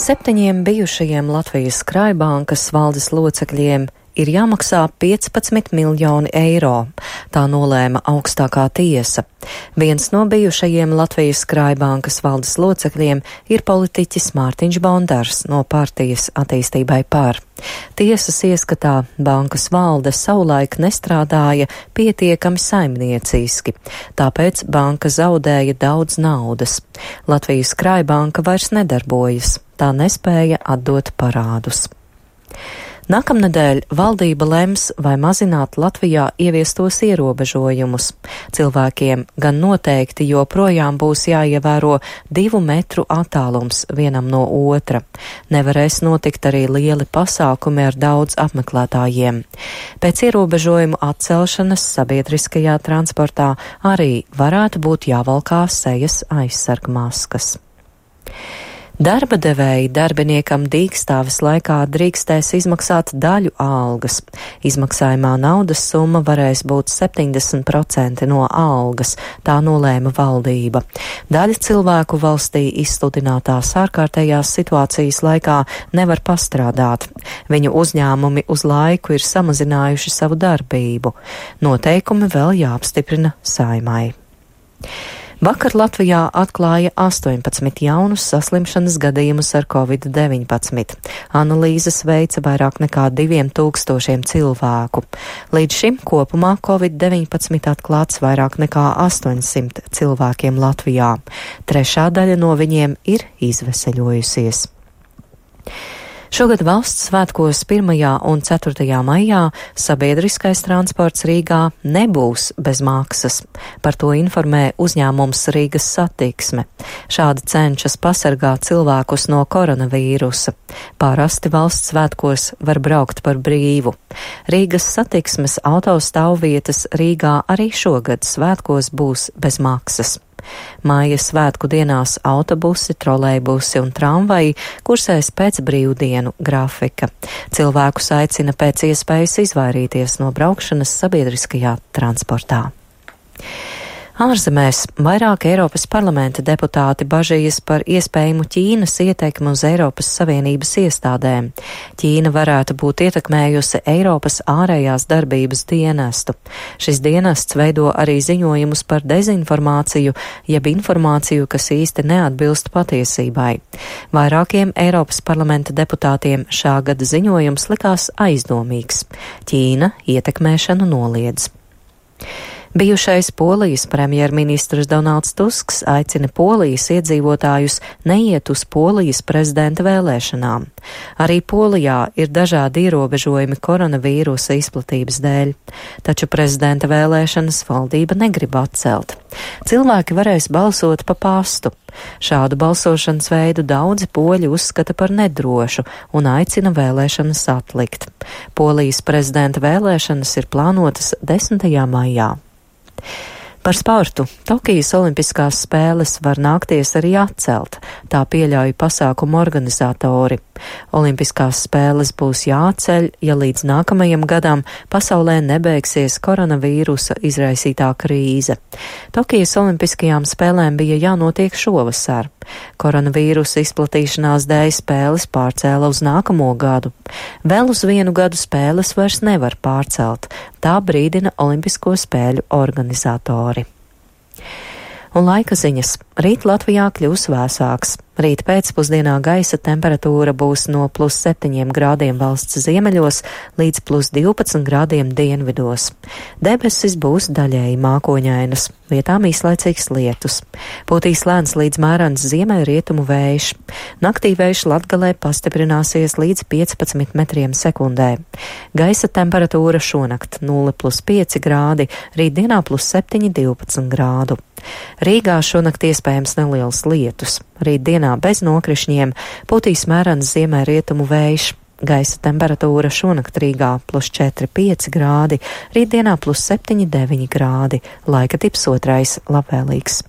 7 bijušajiem Latvijas Krājbankas valdes locekļiem ir jāmaksā 15 miljoni eiro. Tā nolēma augstākā tiesa. Viens no bijušajiem Latvijas Krājbankas valdes locekļiem ir politiķis Mārtiņš Bondars no partijas Attīstībai par. Tiesas ieskatā bankas valde savulaik nestrādāja pietiekami saimnieciski, tāpēc banka zaudēja daudz naudas. Latvijas Krājbanka vairs nedarbojas, tā nespēja atdot parādus. Nākamnedēļ valdība lems, vai mazināt Latvijā ieviestos ierobežojumus. Cilvēkiem gan noteikti joprojām būs jāievēro 2 metru attālums vienam no otra. Nevarēs notikt arī lieli pasākumi ar daudz apmeklētājiem. Pēc ierobežojumu atcelšanas sabiedriskajā transportā arī varētu būt jāvalkā sejas aizsargmaskas. Darba devēji darbiniekam dīkstāves laikā drīkstēs izmaksāt daļu algas. Izmaksājumā naudas summa varēs būt 70% no algas, tā nolēma valdība. Daļa cilvēku valstī izsludinātās ārkārtējās situācijas laikā nevar pastrādāt. Viņu uzņēmumi uz laiku ir samazinājuši savu darbību. Noteikumi vēl jāapstiprina Saeimai. Vakar Latvijā atklāja 18 jaunus saslimšanas gadījumus ar Covid-19. Analīzes veica vairāk nekā 2000 cilvēku. Līdz šim kopumā Covid-19 atklāts vairāk nekā 800 cilvēkiem Latvijā. Trešā daļa no viņiem ir izveseļojusies. Šogad valsts svētkos 1. un 4. maijā sabiedriskais transports Rīgā nebūs bez maksas. Par to informē uzņēmums Rīgas satiksme. Šādi cenšas pasargāt cilvēkus no koronavīrusa. Parasti valsts svētkos var braukt par brīvu. Rīgas satiksmes autostāvvietas Rīgā arī šogad svētkos būs bez maksas. Māja svētku dienās autobusi, trolejbusi un tramvaji kursēs pēc brīvdienu grafika. Cilvēkus aicina pēc iespējas izvairīties no braukšanas sabiedriskajā transportā. Ārzemēs vairāk Eiropas parlamenta deputāti bažījas par iespējamu Ķīnas ietekmi uz Eiropas Savienības iestādēm. Ķīna varētu būt ietekmējusi Eiropas ārējās darbības dienestu. Šis dienests veido arī ziņojumus par dezinformāciju, jeb informāciju, kas īsti neatbilst patiesībai. Vairākiem Eiropas parlamenta deputātiem šā gada ziņojums likās aizdomīgs. Ķīna ietekmēšanu noliedz. Bijušais Polijas premjerministrs Donalds Tusks aicina Polijas iedzīvotājus neiet uz Polijas prezidenta vēlēšanām. Arī Polijā ir dažādi ierobežojumi koronavīrusa izplatības dēļ, taču prezidenta vēlēšanas valdība negrib atcelt. Cilvēki varēs balsot pa pastu. Šādu balsošanas veidu daudzi poļi uzskata par nedrošu un aicina vēlēšanas atlikt. Polijas prezidenta vēlēšanas ir plānotas 10. maijā. Par sportu. Tokijas olimpiskās spēles var nākties arī atcelt, tā pieļauj pasākumu organizatori. Olimpiskās spēles būs jāatceļ, ja līdz nākamajam gadam pasaulē nebeigsies koronavīrusa izraisītā krīze. Tokijas olimpiskajām spēlēm bija jānotiek šovasar. Koronavīrusa izplatīšanās dēļ spēles pārcēla uz nākamo gadu. Vēl uz 1 gadu spēles vairs nevar pārcelt, tā brīdina Olimpisko spēļu organizatori. Un laika ziņas. Rīt Latvijā kļūs vēsāks. Rīt pēcpusdienā gaisa temperatūra būs no +7 grādiem valsts ziemeļos līdz +12 grādiem dienvidos. Debesis būs daļēji mākoņainas, vietām īslaicīgs lietus. Pūtīs lēns līdz mērens ziemeļrietumu vējš. Naktī vējš Latgalē pastiprināsies līdz 15 metriem sekundē. Gaisa temperatūra šonakt 0+5 grādi, rītdienā +7–12 grādu. Rīgā šonakt iespējams neliels lietus. Rītdienā bez nokrišņiem pūtīs mērens ziemeļrietumu vējš. Gaisa temperatūra šonakt Rīgā +4–5 grādi, rītdienā +7–9 grādi. Laika tips 2. labvēlīgs.